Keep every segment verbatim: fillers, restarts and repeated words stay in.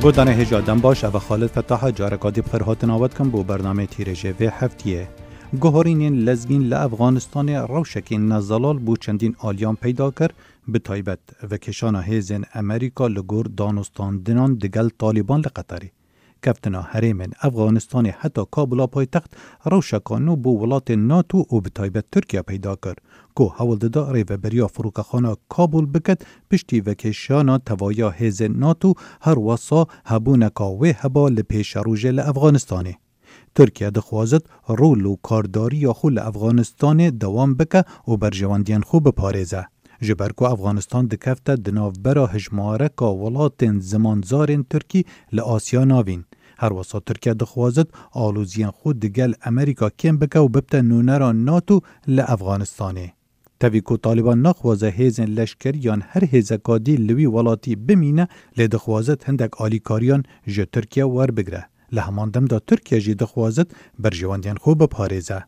Godarên hêja dem baş, ev e Xalid Fetaha, careka dî bi xêr hatina we dikim bo bernameyê Tîrêjê vê heftiyê. Guherînên lezgîn li Efxanistanê rewşekî nezelal bo çendîn aliyan peyda kir, bi taybet vekêşana hêzên Amerîka li gor danûstandinan digel Talîban li Qeterê. Keftina herêmên Efxanistanê heta Kabula paytext rewşeka nû bo welatên NATO û bi taybet Tirkiye peyda kir, ku hewl dida rêveberiya firokexana Kabul biket piştî vekêşana tevahiya hêzên NATO, her wesa hebûneka wê heba li pêşerojê li Efxanistanê. Tirkiye dixwazit rol û kardariya xwe li Efxanistanê dewam bike û berjewendiyên xwe biparêze. Ji ber ku Efxanistan dikefte di navbera hejmareka welatên zimanzarên tirkî li Asya Navîn. Her wesa Tirkiye dixwazit aloziyên xwe digel Amerîka kêm bike û bibte nûnera NATO li Efxanistanê. Tevî ku Talîban naxwaze hêzên leşkerî yan her hêzeka dî li wî welatî bimîne, lê dixwazit hindek alîkariyan ji Tirkiye werbigire. Li heman dem de Tirkiye jî dixwazit berjewendiyên xwe biparêze.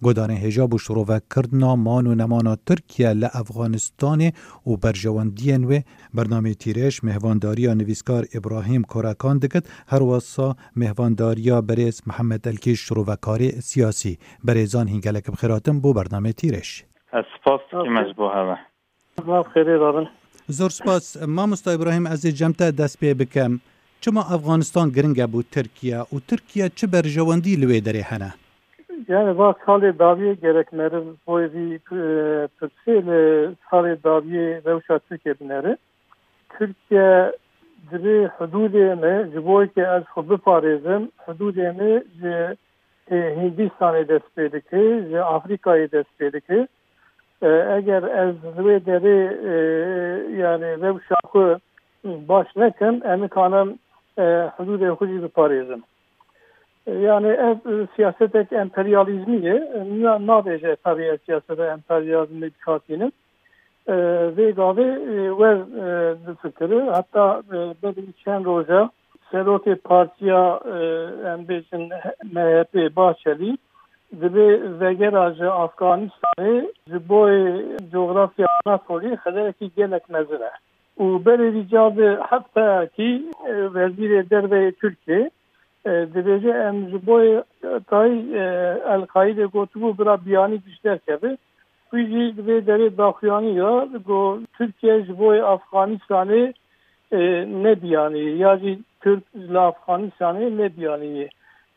Guhdarên hêja bo şirovekirina man û nemana Tirkiye li Efxanistanê û berjewendiyên wê, bernameyê Tîrêj mêhvandariya nivîskar Îbrahîm Korekan dikit, her wesa mêhvandariya berêz Mihemed Elkîş, şirovekarê siyasî. Berêzan hîn gelek bi xêr hatin bo bernameyê Tîrêj. Ez spas dikim ez bo hewe. Zaf xêrê rabin. Zor spas. Mamosta Îbrahîm, ez ê cem te dest pê bikim. Çima Efxanistan giring e bo Tirkiye û Tirkiye çi berjewendî li wê derê hene? Yani va salê dawiyê gerek meriv boy vî, e, pirsê li salê dawiyê rewşa Tirkiye bineri. Tirkiye divê hududê me ji bo ke ez xwe biparêzim, hududê me ji, e, Hindistanê dest pê dike, ji Afrikayê dest pê dike. E, eger ez li wê derê, e, yani rewşa xwe baş nekim, em nikanim, e, hududê xwe jî biparêzim. E, yani ev, e, siyasetek emperyalîzmî ye. Na-, nabêje tabii ez siyaseta emperyalîzmê dikatînim. E, vê gavê, e, wer, e, difikire. Heta, e, berî çend roja serokê partiya, e, em bêjin M H P Bahçelî, divê vegera ji Afganistanê ji bo coğrafya Anatolî xederekî gelek mezin e. Û berê vî ca bi hefteyekî, e, wezîrê derve yê Tirkiyê, e, dibêje, em ji bo tayî, e, El-Qaîdê gotibû bira biyanî diş derkeve. Wî jî di vê derê daxuyanî ya, got, Tirkiye ji bo Afganistanê, e, ne biyanî ye, ya jî Tirk li Afganistanê ne biyanî ye.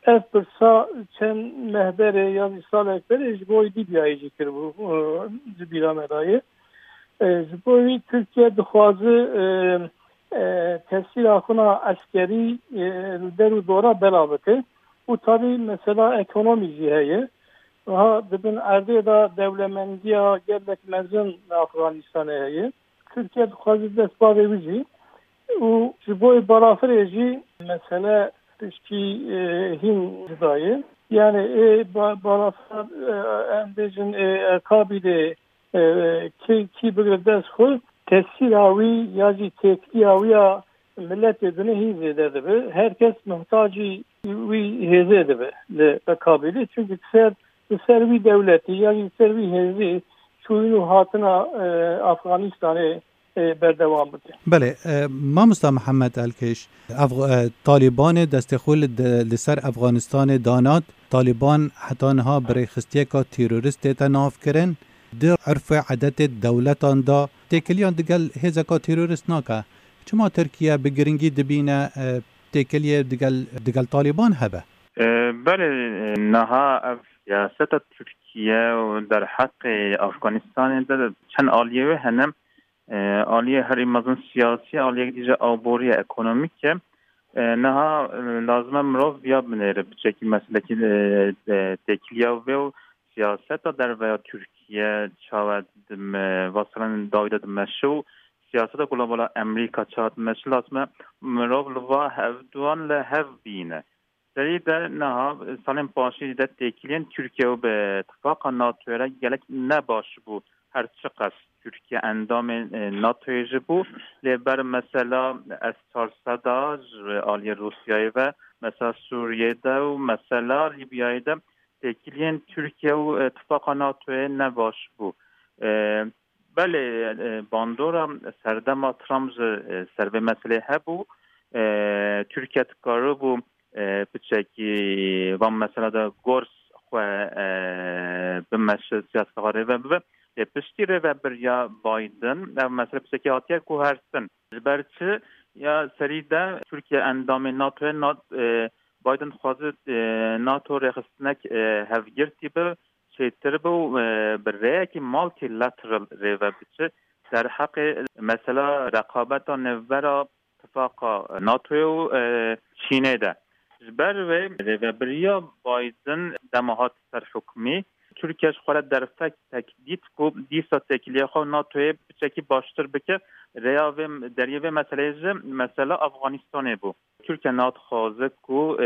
Ev pirsa çend meh berê ya jî salek berê ji bo Lîbyayê jî kiribû, e, di bîra me de ye. E, ji bo wî Tirkiye dixwaze, e, e, tesîra xwe na eskerî, e, li der û dora bela bike. Û tabî mesela ekonomî jî heye. Niha di bin erdê de dewlemendiya gelek mezin li Afganistanê heye. Tirkiye dixwaze dest bavê wî jî. Û ji bo balafirê jî mesele tiştî, e, hîn cuda ye. Yani ê ba-, balafir, e, em bêjin, ê, e, Kabîlê, e, kî, kî bigire dest xwe, tesîra wî ya jî têkiliya wî ya miletê dinê hîn zêde dibe. Her kes muhtacî wî hêzê dibe li Kabîlê. Çunku ser, li ser wî dewletî ya jî li ser wî hêzê çûyîn û hatina, e, Afganistanê, e, berdewam bike. Belê, e, mamosta Mihemed Elkêş, Afg-, e, Talîbanê destê xwe li de-, li ser Afganistanê danat. Talîban heta niha bi rêxistiyeka terorîst tête navkirin. Di urf û edetê dewletan de têkiliyan digel hêzeka terorîst nake. Çima Tirkiye bi giringî dibîne, e, têkiliyê digel, digel Talîban hebe? E, belê, e, niha ev siyaseta Tirkiye û derheqê Afganistanê de çend aliyê wê hene. E, aliyê herî mezin siyasî, aliyek dî jî aborî ye, ekonomîk e. E, niha, e, lazim e mirov viya binêre, piçekî meselekî, e, e, têkiliya wê û siyaseta derve ya Tirkiye çawa di me-, va salan dawî de dimeşe û siyaseta global a Amerîka çawa dimeşe, lazim e mirov li va hevduan li hev bîne. Serî de niha salên paşî de têkiliyên Tirkiye û bi tifaqa NATOyê re gelek ne baş bû. Her çiqas Tirkiye endamê, e, NATOyê jî bû, lê ber mesela S çar sed a ji aliyê Rûsyayê ve, mesela Sûriyê de û mesela Lîbyayê de têkiliyên Tirkiye û, e, tifaqa NATOyê ne baş bû. E, belê, e, bandora serdema Trump jî, e, ser vê meselê hebû. e, Tirkiye dikaribû, e, piçekî van mesela de gors xwe, e, bimeşe, siyaseta xwe rêve bibe. Lê piştî rêvebiriya Biden, ev mesele piçekî hatiye guhertin. Ji ber çi? Ya serî de Tirkiye endamê NATOyê, Nat-, e, Biden dixwaze, e, NATO rêxistinek, e, hevgirtî bi, çêtir bi û, e, bi rêyekî multilateral rêve biçe. Derheqê mesela reqabeta nêvbera tifaqa NATOyê û, e, Çînê de. Ji ber wê rêvebiriya Biden dema hat ser hukmî, Tirkiye ji xwe re derfek tekdît ku dîsa têkiliya xwe NATOyê piçekî baştir bike. Rêya vê, deriyê vê meseleyê jî mesela Afganistanê bû. Tirkiye niha dixwaze ku, e,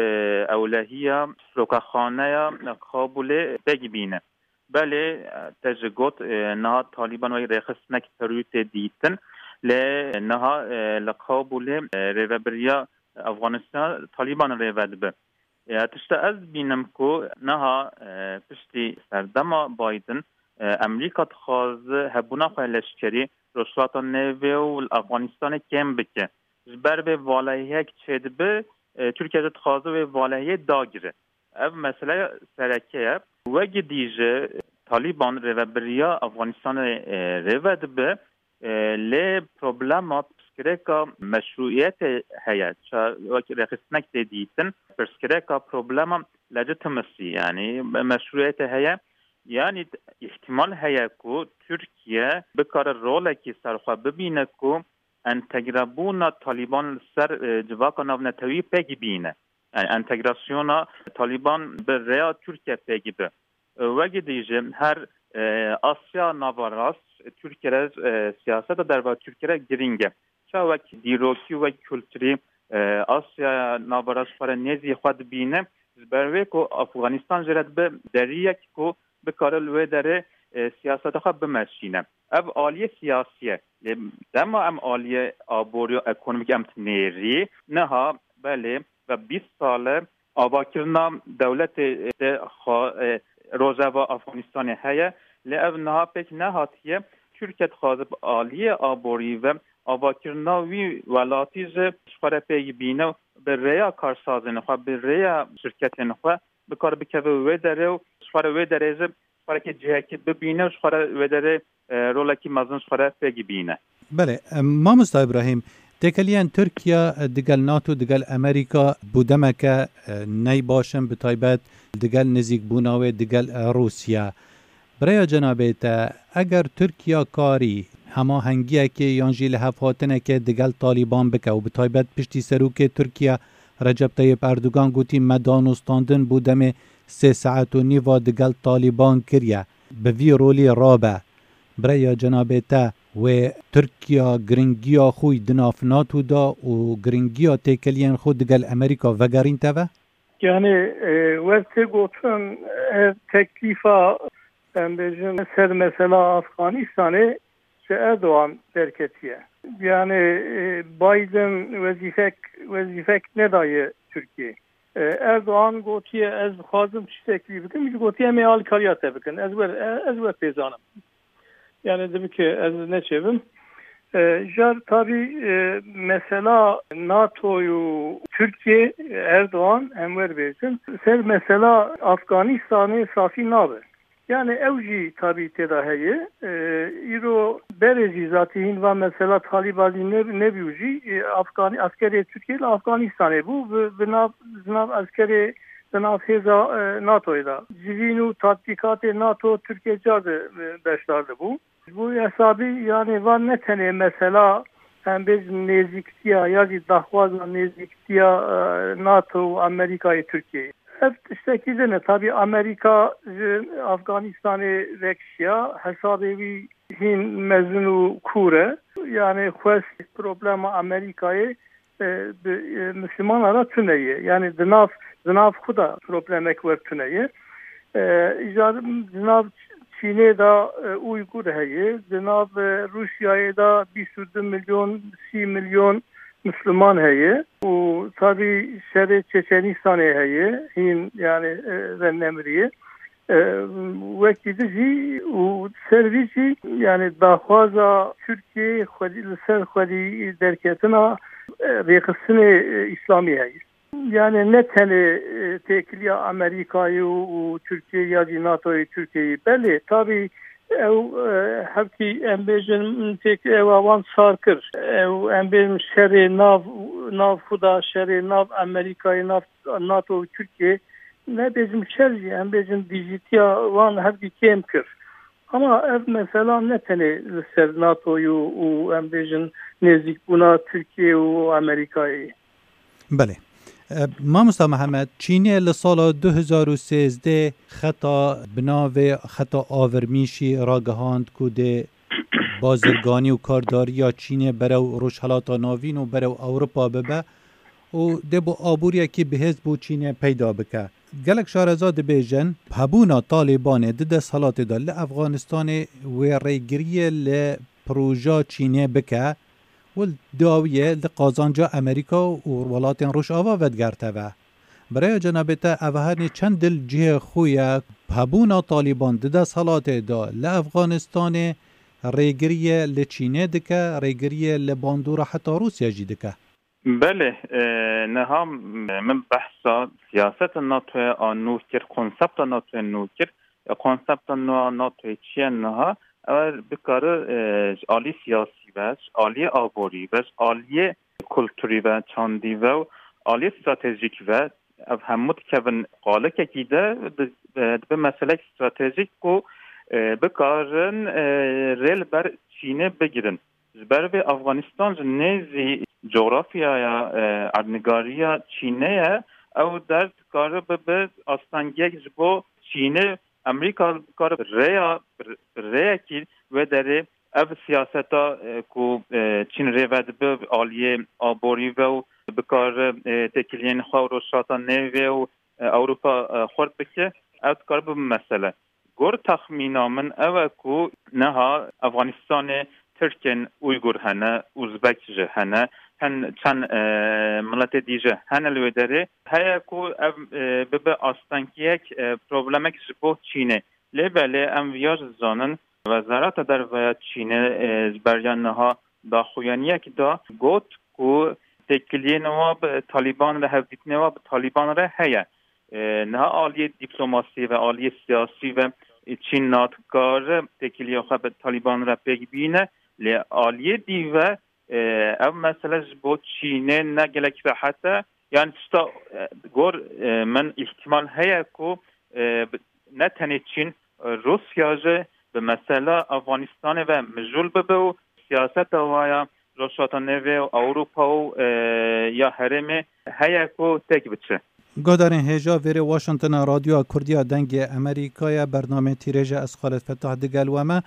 ewlehiya firokaxaneya Kabulê pêk bîne. Belê, e, te ji got, e, niha Talîban wek rêxistinek terorî tê dîtin, lê niha, e, li Kabulê, e, rêvebiriya Afganistana Talîban rêve dibe. E, tişta ez dibînim ku niha, e, piştî serdema Biden, e, Amerîka dixwaze hebûna xwe leşkerî Rojhilata Nêvê û li Afganistanê kêm bike. Ji ber vê valehiyek çêdibe, e, Tirkiye jî dixwaze wê valehiyê dagire. Ev meseleya sereke ye. Wekî dî jî Talîban rêvebiriya Afganistanê, e, rêve dibe, e, lê problema pirsgirêka meşrûiyetê heye. Ça wekî rêxistinek tê dîtin, pirsgirêka problema legitimacy, yanî meşrûiyetê heye. Yanî îhtimal heye ku Tirkiye bikare rolekî ser xwe bibîne ku entegrebûna Talîban li ser, e, civaka navnetewî pêk bîne. Yani entegrasyona Talîban bi rêya Tirkiye pêk be. E, wekî dî jî her, e, Asya Naverast Tirkiye re, e, siyaseta derva Tirkiye re girîng e. Ça wek dîrokî, wek kulturî, e, Asya Naverast xwe re nêzî xwe dibîne. Ji ber wê ku Afganistan jê re dibe deriyek ku bikare li wê derê, e, siyaseta xwe bimeşîne. Ev aliyê siyasî ye. Lê dema em aliyê aborî û ekonomîk em dinêrî, niha belê ve bîst sal e avakirina dewletê de xwe, e, rojeva Afganistanê heye. Lê ev niha pêk nehatiye. Tirkiye dixwaze bi aliyê aborî ve avakirina wî welatî jî ji xwe re pêk bîne û bi rêya karsazên xwe, bi rêya şirketên xwe bikare bikeve wê derê û ji xwe re wê derê jî xwerekî cihekî bibîne û ji xwe re wê derê, e, rolekî mezin ji xwe re pêk bîne. Belê, e, mamosta Îbrahîm, têkeliyên Tirkiye, e, digel NATO, digel Amerîka bû demeke, e, ney baş in, bi taybet digel nizîkbûna wê digel, e, Rûsya. Bi rêya cenabê te, eger Tirkiye karî hemahengiyekê yan jî lihevhatinekê digel Talîban bike û bi taybet piştî serokê Tirkiye Recep Tayyip Erdogan gotî, me danûstandin bo demê sê saet û nîva digel Talîban kiriye, bi vî rolî rabe. Bi rêya cenabê te, wê Tirkiye giringiya xwe di nav NATO de û giringiya têkeliyên xwe digel Amerîka vegerînte ve? Yani, e, wek tê gotin, ev teklîfa, em bêjin, ser mesela Afganistanê ji Erdogan derketiye. Yani, e, Biden wezîfek, wezîfek nedaye Tirkiyê. E, Erdogan gotiye, ez dixwazim tiştekî bikim, ji gotiye, em ê alîkariya te bikin. Ez wer, e, ez wer pêzanim. Yani dibe ki ez neçêbim. E, jar tabi, e, mesela NATO û Tirkiye, Erdogan, em wer bêjin. Ser mesela Afganistanê safî nabe. Yani ew jî tabi têda heye. E, îro berê jî zatî hîn va mesela Talîbanî ne-, nebî û jî, e, Afganî, askerê Tirkiye li Afganistanê bû. Bi, bi nav, di nav askerê, di nav hêza, e, NATOyê de. Civîn û tatbîkatê NATO Tirkiye car de, e, beşdar dibû. Ji bo hesabî, yani, van ne tenê mesela, em bêjin, nêzîktiya ya jî daxwaza nêzîktiya, e, NATO û Amerîkayê Tirkiyeyê. Ev tiştekî din e. Tabî Amerîka ji Afganistanê vekişiya, hesabê wî hîn mezin û kûr e. Yani, xwest problema Amerîkayê e, bi, e, Mislimana re tune ye. Yani di nav, di nav xwe de problemek wer tune ye. E, îcar di nav Çînê de, e, Uygur heye, di nav, e, Rûsyayê de bîst û du milyon, sî milyon Misliman heye. Û tabî şerê Çeçenistanê heye, hîn yani, e, venemiriye. E, wekî di jî û ser vî jî, yani daxwaza Tirkiyeyê xwedî, li ser xwedî derketina e, rêxistinê, e, îslamî heye. Yani ne tenê, e, têkiliya Amerîkayê û, û Tirkiyeyê ya jî NATOyê Tirkiyeyê. Belê, tabî ew, e, hevkî em bêjin têk ewa wan sar kir. Ew em bêjin şerê nav, nav xwe da, şerê nav Amerîkayê, nav NATO û Tirkiyeyê. Ne bêjim şer jî, em bêjin dîjîtiya wan hevkî kêm kir. Ama ev mesela ne tenê li ser NATOyê û, û em bêjin nêzîkbûna Tirkiyeyê û Amerîkayê. Belê. E, Mamosta Mihemed, Çînê li sala du hezar û sêzdeh xeta bi navê xeta Avirmîşî ragihand ku dê bazirganî û kardariya Çînê berew Rojhelata Navîn û berew Ewropa bibe û dê bo aboriyekî bihêz bo Çînê peyda bike. Gelek şareza dibêjin, hebûna Talîbanê di desthilatê de li Efxanistanê wê rêgiriyê li proja Çînê bike û li dawiyê li qazanca Amerîka û welatên Rojava vedigerteve. Biraya cenabê te, ev her nê çend dil cihê xwe ye, hebûna Talîban di desthilatê de li Efxanistanê rêgiriyê li Çînê dike, rêgiriyê li bandora heta Rûsya jî dike? Belê, e, niha min behsa siyaseta NATOyê a nû kir, konsepta NATOyê nû kir. E, konsepta nû a NATOyê çi ye niha? Ew bikare, e, ji alî siyasî ve, ji aliyê aborî ve, ji aliyê kulturî ve, çandî ve û aliyê stratejîk ve, ev hemû dikevin qalikekî de, di-, e, dibe meselek stratejîk ku, e, bikarin, e, rê li ber Çînê bigirin. Ji ber vê Afganistan ji nêzî cografyaya, e, erdnigariya Çînê ye, ew der dikare bibe astengiyek ji bo Çînê. Amerîka dikare bi rêya, bi rêyekî wê derê ev siyaseta, e, ku, e, Çîn rê vedibe aliyê aborî ve û bikare, e, têkiliyên xwe û Rojhilata Nêvê û, e, Ewropa, e, xurt bike, ev dikare bibe mesele. Gor texmîna min ew e ku niha Afganistanê Tirkên Uygur hene, Uzbek jî hene, hin çend, e, miletê dî jî hene li wê derê. Heye ku ev, e, bibe astengiyek, e, problemek ji bo Çînê. Lê belê em viya jî zanin, Wezareta Derve ya Çînê, e, ji beriya niha daxuyaniyek da, got ku têkiliyên wa bi Talîban re, hevdîtinê wa bi Talîban re heye. E, niha aliyê dîplomasî ve, aliyê siyasî ve, e, Çîn nadikare têkiliya xwe bi Talîban re pêk bîne, lê aliyê dî ve, e, ev mesele ji bo Çînê ne gelek rehet e. Yani tişta, e, gor, e, min îhtimal heye ku, e, bi-, ne tenê Çîn, e, Rûsya jî bi mesela Afganistanê ve mijûl bibe û siyaseta wa ya Rojhilata Nêvê û Ewropa û, e, ya herêmê heye ku têk biçe. Guhdarên hêja vêrê Washingtona Radyoya Kurdiya Dengê Amerîkaya bernameyê Tîrêje, ez Xalid Fetah digel we me.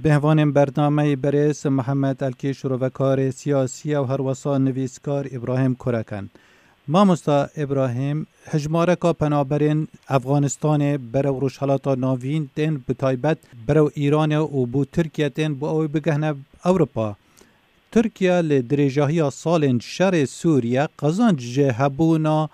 Bêhvanên bernameyê berêz Mihemed Elkî, şirovekarê siyasî ye û herwesa nivîskar Îbrahîm Kurek in. Mamosta Îbrahîm, hejmareka penaberên Efganistanê berew Rojhelata Navîn tên, bi taybet berew Îranê û bo Tirkiye tên, bo ew ê bigehne Ewropa. Tirkiye li dirêjahiya salên şerê Sûriye qezenc ji hebûna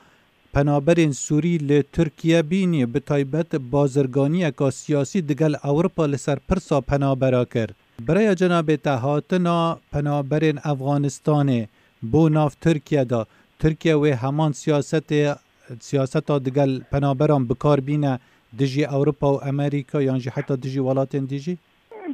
penaberên Sûrî li Tirkiye bînî, bi taybet bazirganiyeka siyasî digel Ewropa li ser pirsa penabera kir. Bi raya cenabê te, hatina penaberên Efganistanê bo nav Tirkiye de, Tirkiye wê heman siyasetê, siyaseta digel penaberan bi kar bîne dijî Ewropa û Amerîka yan jî heta dijî welatên dî jî?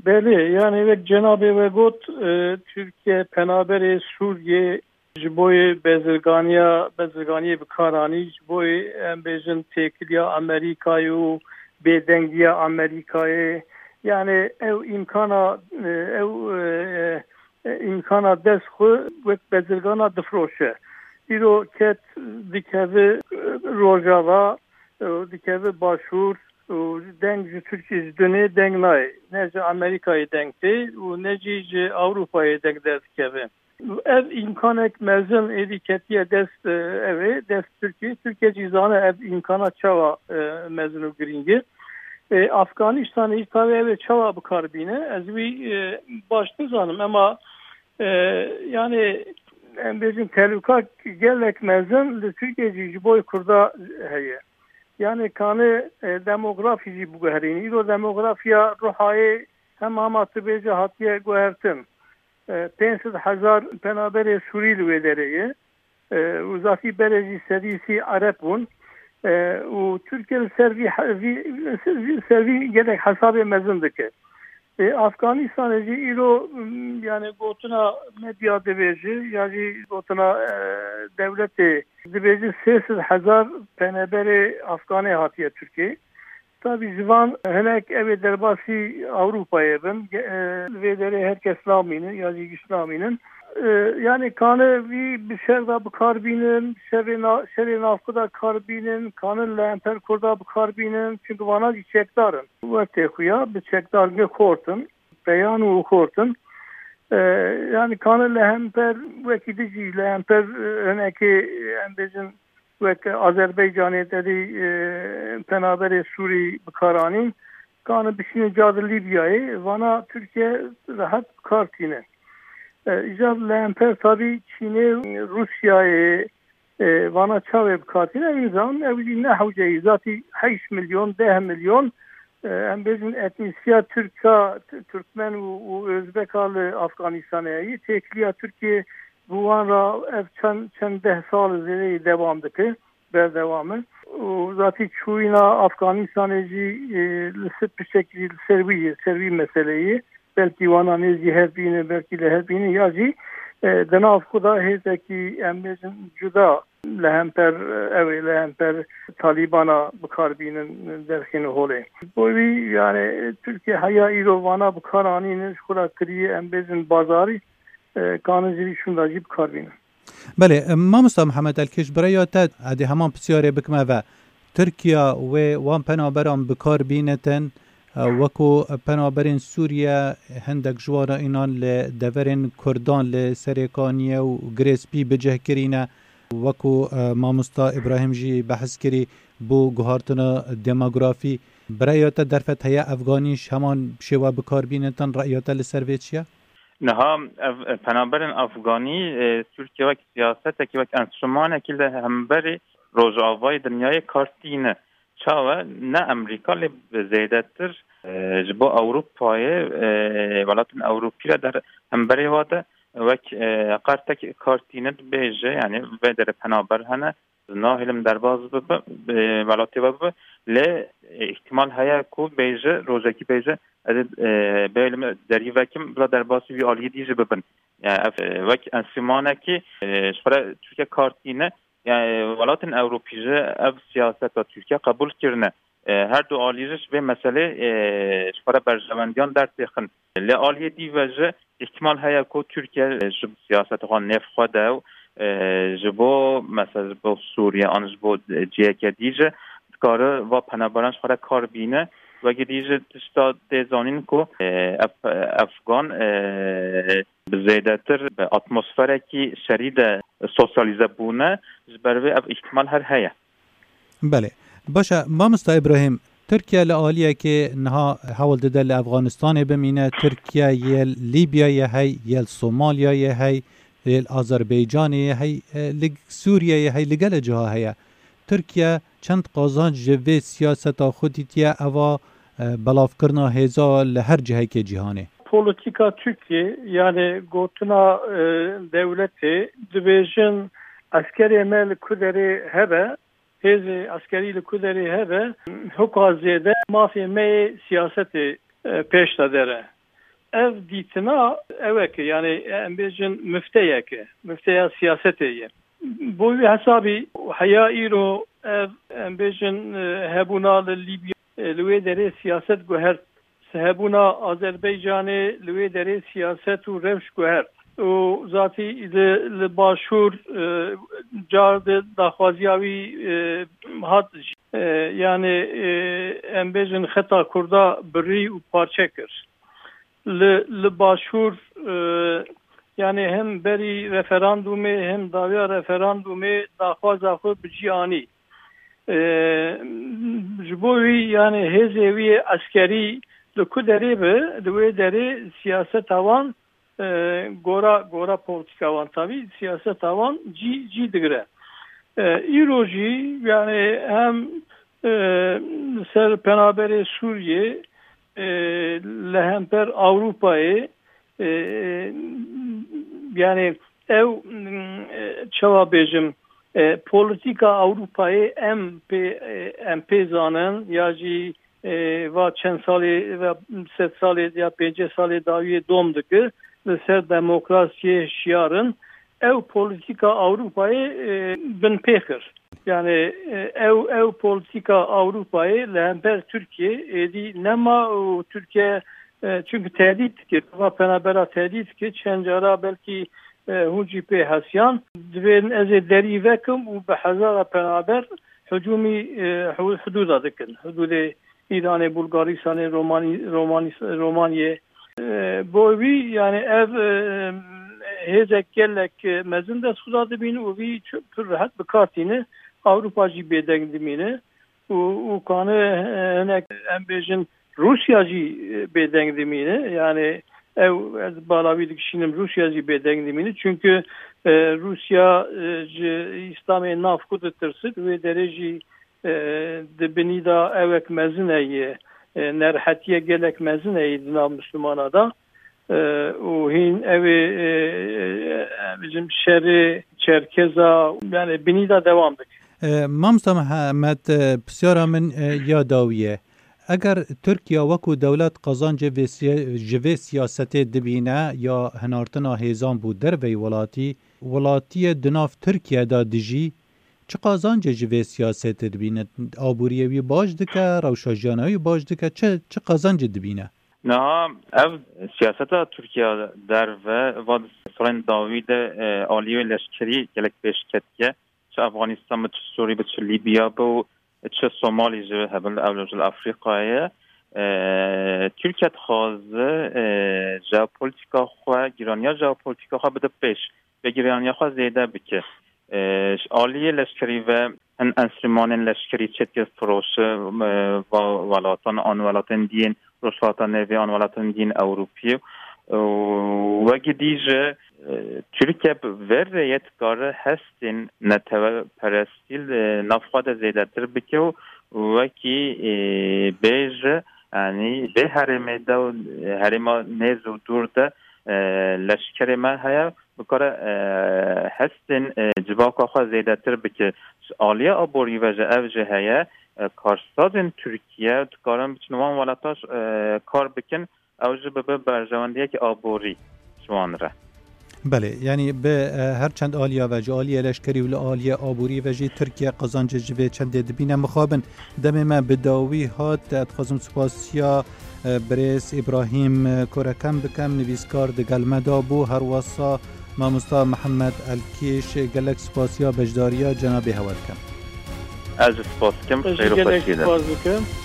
Belê, yani wek cenabê we got, e, Tirkiye penaberê Sûriyê ji bo yê bezirganiya, bezirganiyê bi kar anî, ji bo yê, em bêjin, têkiliya Amerîkayê û bêdengiya Amerîkayê. Yani ew îmkana, e, ew, e, e, îmkana dest xwe wek bezirgana difiroşe. Îro ket dikeve, e, Rojava, e, dikeve Başûr, û deng ji Tirkiyê ji dinê deng nayê. Ne ji Amerîkayê deng tê û ne jî ji Ewropayê deng derdikeve. Ev îmkanek mezin êdî ketiye dest, e, ev ê, dest Tirkiyê. Tirkiye jî zane ev îmkana çawa, e, mezin û girîng e. E, Afganistanê jî tabi ev ê çawa bi kar bîne. Ez wî, e, baş nizanim, ema, e, yani em bêjin tehlûka gelek mezin li Tirkiye jî ji bo Kurda heye. Yani kanê, e, demografî jî biguherîn. Îro demografiya Ruhayê hem hema tu bêje hatiye guhertin. E, pênc sed hezar penaberê Sûrî li wê derê ye. E, û zatî berê jî sedî sî Ereb bûn. E, û Tirkiye li ser vî he-, vî, li ser vî gelek hesabê mezin dike. E, Afganistanê jî îro, m, yani gotina medya dibêje, ya jî gotina, e, dewletê dibêje sê sed hezar penaberê Afganê hatiye Tirkiyeyê. Tabî ji van hinek ew ê derbasî Ewropayê bin. Ge-, e, li vê derê her kes namînin ya jî giş namînin. E, yani kane vî bi şer de bi kar bînin, şerê na-, şerê navxwe de kar bînin, kanin li hemper Kurda bi kar bînin, çunku vana jî çekdar in. Wextê xwe ya bi çekdargê xort in, peyan û xort in. E, yani kanin li hemper wekî dijî, li hemper, e, hinekê, em bêjin, wek Azerbaycanê te dî, e, penaberê Sûrî bi kar anîn, kane bişîne ca di Lîbyayê, vana Tirkiye rehet bi kar tîne. E, îcar li hemper tabî Çînê, Rûsyayê, e, vana çavê bi kar tîne, em zanin ew jî ne hewce ye, zatî heşt milyon, deh milyon, e, em bêjin etnîsiya Tirka, T-, Tirkmen û, û Özbeka li Afganistanê heye. Têkiliya Tirkiye bi wan re ev çend, çend deh sal zêdeyî devam dike, berdewam e. Û zatî çûyîna Afganistanê jî, e, li ser piştekî jî li ser wî ye, ser wî meseleyê. Belkî wana nêzî hev bînin, belkî li hev bînin, ya jî, e, di nav xwe de hêzekî, em bêjin, cuda li hemper, e, ew ê li hemper Talîbana bi kar bînin, derxînin holê. Bo wî, yani, Tirkiye heya îro vana bi kar anînin, ji xwe re kiriye, em bêjin, bazarî, e, kanin ji vî şûnda jî bi kar bînin. Belê, mamosta Mihemed Elkêş, bi rêya te, edê heman pisyarê bikime ve, Tirkiya wê wan penaberan bi kar bînitin, e, wekû penaberên Sûriye, hindek ji wan re înan li deverên Kurdan li Serêkaniyê û Girê Spî bi cih kirîne, wekû, e, mamosta Îbrahîm jî behs kirî, bo guhartina demografî. Bi rêya te derfet heye Efganî ji heman şêwe bi kar bînitin, rêya te li ser vê çi ye? Niha ev, e, penaberên Afganî, e, Tirkiye wek siyasetekî, wek enstrümanekî li hemberî Rojavayê dinyayê kar tîne. Çawa? Ne Amerîka, lê bi zêdetir, e, ji bo Ewropayê, e, welatên Ewropî re der hemberê wa de wek, e, qertek kar tîne dibêje, yani vê derê penaber hene, nahêlim derbas bibe, bi welatê we bibe, lê, e, îhtimal heye ku bêje, rojekî bêje, ez ê, e, bêlim derî vekim, bila derbasî vî aliyê dî jî bibin. Yani ev, e, wek enstrümanekî, e, ji xwe re Tirkiye kar tîne, yani welatên Ewropî jî ev siyaseta Tirkiye qebûl kirine. E, her du alî jî ji vê meselê, e, ji xwe re berjewendiyan dertêxin. Li aliyê dî ve jî îhtimal heye ku Tirkiye, e, ji siyaseta xwe nêv xwe de û, e, ji bo, mesela ji bo Sûriye an ji bo ciheke dî jî dikare va penaberan ji xwe re kar bîne. Wekî dî jî tişta tê zanîn ku, e, ev, Efgan, e, bi zêdetir bi atmosferekî şerî de sosyalîze bûne, ji ber vê ev îhtimal her heye. Belê. Baş e, mamosta Îbrahîm, Tirkiye li aliyekê niha hewl dide li Efganistanê bimîne, Tirkiye yê Lîbyayê hey, yê Somalyayê hey, yê Azerbaycanê hey, e, li Sûriyeyê hey, li gelê ciha heye. Tirkiye çend qazanc ji vê siyaseta xwe dîtiye, eva, e, belavkirina hêza li her cihekê cîhanê? Polîtîka Tirkiye, yani gotina, e, dewletê, dibêjin eskerê me li ku derê hebe, hêzê eskerî li ku derê hebe, hoka zêde mafê me yê siyasetê, e, pêş de dere. Ev dîtina ew e ke, yani em bêjin mifteyek e, mifteya siyasetê ye. Bo wî hesabî heya îro ev, em bêjin, e, hebûna li Lîbya, e, li wê derê siyaset guhert. Hebûna Azerbaycanê li wê derê siyaset û rewş guhert. Û zatî li, li Başûr, e, car di daxwaziya wî, e, hat jî. E, yani, e, em bêjin xeta Kurda birî û parçe kir. Li, li Başûr, e, yani hem berî referandumê hem dawiya referandumê daxwaza xwe bi cî anî. E, ji bo wî, yani hêzê wî eskerî li ku derê be, li wê derê siyaseta wan, e, gora, gora polîtîka wan, tabî siyaseta wan cî, cî digire. E, îro jî, yani hem, e, ser penaberê Sûriyê, e, li hemper Ewropayê, e, Yani ew, mm, e, çawa bêjim, e, polîtîka Ewropayê em pê, e, em pê zanin ya jî, e, va çend salê ve sed salê ya pêncî salê dawiyê dom dikir, li ser demokrasiyê şiyar in. Ew polîtîka Ewropayê, e, binpê kir. Yani, e, ew, ew polîtîka Ewropayê li hember Tirkiye êdî nema û Tirkiye, e, çünkü tehdît dike, va penabera tehdît dike, çend cara belkî, e, hûn jî pê hesiyan, divên ez ê derî vekim û bi hezara penaber hicûmî, e, hu-, hudûda dikin. Hudûdê Îranê, Bulgaristanê, Romanî-, Romanî-, Romaniyê. E, bo wî, yani ev, e, hêzek gelek mezin dest xwe da dibîn û wî çi-, pir rehet bi kar tîne. Ewropa jî bêdeng dimîne û, û kane, e, hinek em bêjin Rûsya jî, e, bêdeng dimîne. Yani ew ez bala wî dikişînim, Rûsya jî bêdeng dimîne. Çünkü, e, Rûsya, e, ji Îslamê nav xwe ditirsit, wê derê jî, e, di binî de ewek mezin heye, e, nerhetiye gelek mezin heye di nav Müslümana de. E, û hîn ew ê, e, e, bizim şerê Çerkeza, yani binî de devam dike. E, Mamosta Mihemed, e, pisyara min, e, ya dawî ye. Eger Tirkiye wekû dewlet qezancê vê siya-, ji vê siyasetê dibîne ya hinartina hêzan bo derveyî welatî, welatiyê di nav Tirkiye de dijî, çi qazancê ji vê siyasetê dibîne? Aboriyê wî baş dike, rewşa jiyana wî baş dike, çi, çi qazancê dibîne? Niha ev siyaseta Tirkiye derve va di salên dawî de, e, aliyê leşkerî gelek pêş ketiye. Çi Afganistan bi, çi Sûrî bi, çi Lîbya bi û çi Somalî jî hebin, ew jî li Afrîkayê ye. E, Tirkiye dixwaze, e, jeopolitîka xwe, giraniya jeopolitîka xwe bide pêş, vê giraniya xwe zêde bike. E, ji aliyê leşkerî ve hin enstrûmanên leşkerî çêdike firoşe, e, va-, welatan, an welatên diyên Rojhilata Nêvê, an welatên diyên Ewropî. E, wekî dî jî, e, Tirkiye bi vê rêyê dikare hestên neteweperestî li nav xwe de zêdetir bike û wekî, e, bêje, yanî vê herêmê de û herêma nêz û dûr de, e, leşkerê me heye, bikare, e, hestên, e, civaka xwe zêdetir bike. Ji aliyê aborî ve jî ev jî heye, e, karsazên Tirkiye dikarin biçin wan welata, e, kar bikin, ew jî bibe berjewendiyekî aborî ji wan re. Belê, yanî bi, e, her çend aliya ve, ji aliyê leşkerî û li aliyê aborî ve jî Tirkiye qezancê ji vê çendê dibîne. Mixabin, demê me bi dawî hat, ez dixwazim spasiya, e, birêz Îbrahîm, e, Korekem bikem, nivîskar digel me de bû, her wesa mamosta Mihemed Elkîş, gelek spasiya beşdariya cenabê hewa dikim. Ez jî spas dikim, Ez jî xêr û gelek xweşî de. Spas dikim.